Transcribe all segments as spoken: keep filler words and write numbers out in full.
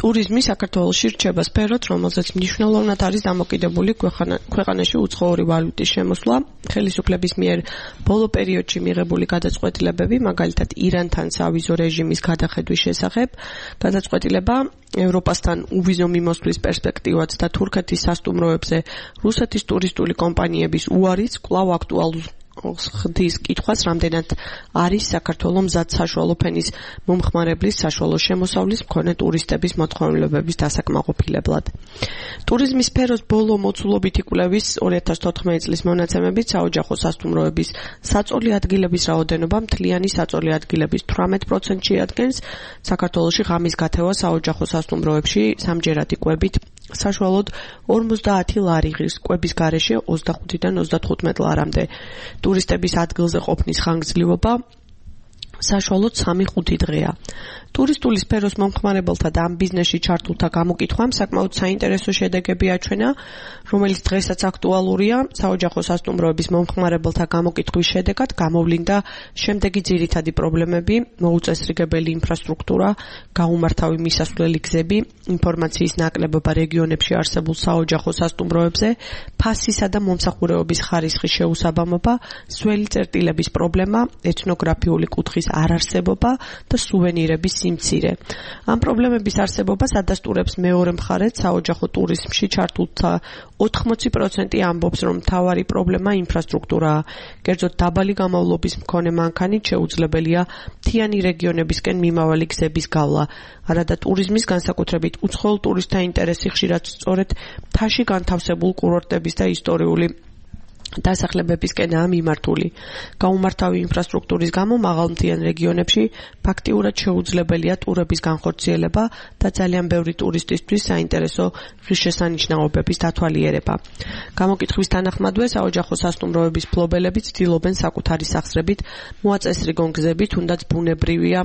ტურიზმი საქართველოში რჩება სფეროთ, რომელზეც მნიშვნელოვნად არის დამოკიდებული ქვეყანაში უცხოური ვალუტის შემოსვლა, ხელისუფლების მიერ ბოლო პერიოდში მიღებული გადაწყვეტილებები, მაგალითად ირანთან სავიზო რეჟიმის გადახედვის შესახებ, გადაწყვეტილება ევროპასთან უვიზო მიმოსვლის პერსპექტივაც და თურქეთის სასტუმროებზე რუსეთის ტურისტული კომპანიების უარიც კვლავ აქტუალურ ხდის კითხვას, რამდენად არის საქართველოს მზად საშუალო ფენის მომხმარებლის საშუალო შემოსავლის მქონე ტურისტების მოთხოვნილებების დასაკმაყოფილებლად. ტურიზმის სფეროს ბოლო მოცულობითი კვლევის ორი ათას თოთხმეტი წლის მონაცემებით საოჯახო სასტუმროების საწოლი ადგილების რაოდენობა მთლიანი საწოლი ადგილების თვრამეტ პროცენტს შეადგენს. საქართველოში ღამის გათევა საოჯახო სასტუმროებში სამჯერადი კვებით საშუალოდ ორმოცდაათი ლარი ღირს, კვების გარეშე ოცდახუთიდან ოცდათხუთმეტ ლარამდე. ტურისტების ადგილზე ყოფნის ხანგრძლივობა საშუალოდ სამი ხუთი დღეა. ტურისტული სფეროს მომხმარებელთა და ამ ბიზნესში ჩართულთა გამოკითხვამ საკმაოდ საინტერესო შედეგები აჩვენა, რომელიც დღესაც აქტუალურია. საოჯახო სასტუმროების მომხმარებელთა გამოკითხვის შედეგად გამოვლინდა შემდეგი ძირითადი პრობლემები: მოუწესრიგებელი ინფრასტრუქტურა, გაუმართავი მისასვლელი გზები, ინფორმაციის ნაკლებობა რეგიონებში არსებულ საოჯახო სასტუმროებზე, ფასისა და მომსახურებების ხარისხის შეუსაბამობა, სველი წერტილების პრობლემა, ეთნოგრაფიული კუთხის არარსებობა და სუვენირების სიმცირე. ამ პრობლემების არსებობას ადასტურებს მეორე მხარეს საოჯახო ტურიზმში ჩართულთა ოთხმოცი პროცენტი ამბობს, რომ მთავარი პრობლემა ინფრასტრუქტურაა. კერძოდ დაბალი გამოვლობის მქონე მანქანით შეუძლებელია მთიანი რეგიონებისკენ მიმავალი გზების გავლა. არადა ტურიზმის, განსაკუთრებით უცხოელ ტურისტთა ინტერესი ხშირად სწორედ მთაში განთავსებულ კურორტების და ისტორიული დასახლებებისკენაა მიმართული. გაუმართავი ინფრასტრუქტურის გამო მაღალმთიან რეგიონებში ფაქტიურად შეუძლებელია ტურების განხორციელება და ძალიან ბევრი ტურისტისთვის საინტერესო ღირსშესანიშნაობების დათვალიერება. გამოკითხვის თანახმადვე საოჯახო სასტუმროების მფლობელები ცდილობენ საკუთარი სახსრებით მოაწესრიგონ გზები, თუნდაც ბუნებრივია,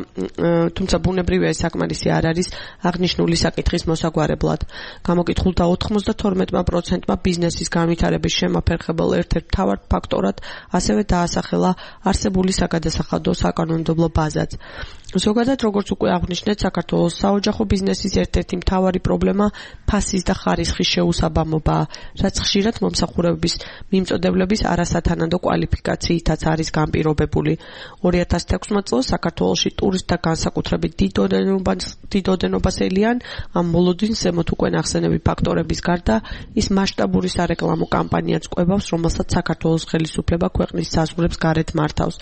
თუმცა ბუნებრივია ეს საკმარისი არ არის აღნიშნული საკითხის მოსაგვარებლად. გამოკითხულთა ოცდათორმეტ პროცენტმა ბიზნესის განვითარების შემაფერხებელ ერთ მთავარ ფაქტორად ასევე დაასახელა არსებული საგადასახადო საკანონმდებლო ბაზაც. ზოგადად, როგორც უკვე აღნიშნეთ, საქართველოს საოჯახო ბიზნესის ერთ-ერთი მთავარი პრობლემა ფასის და ხარისხის შეუსაბამობაა, რაც ხშირად მომსახურების მიმწოდებლების არასათანადო კვალიფიკაციითაც არის განპირობებული. ორი ათას თექვსმეტ წელს საქართველოში ტურისტთა განსაკუთრებით დიდ ოდენობას ელიან ამ მოლოდინს ზემოთ უკვე ნახსენები ფაქტორების გარდა ის მასშტაბური სარეკლამო კამპანიაც ყვებავს, რომელსაც საქართველოს ხელისუფლება ქვეყნის საზღვრებს გარეთ მართავს.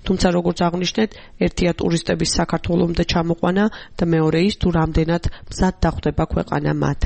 თუმცა, როგორც აღნიშნეთ, ერთია ტურისტების საქართველომდე ჩამოყვანა და მეორე ის, თუ რამდენად მზად დახვდება ქვეყანა მათ.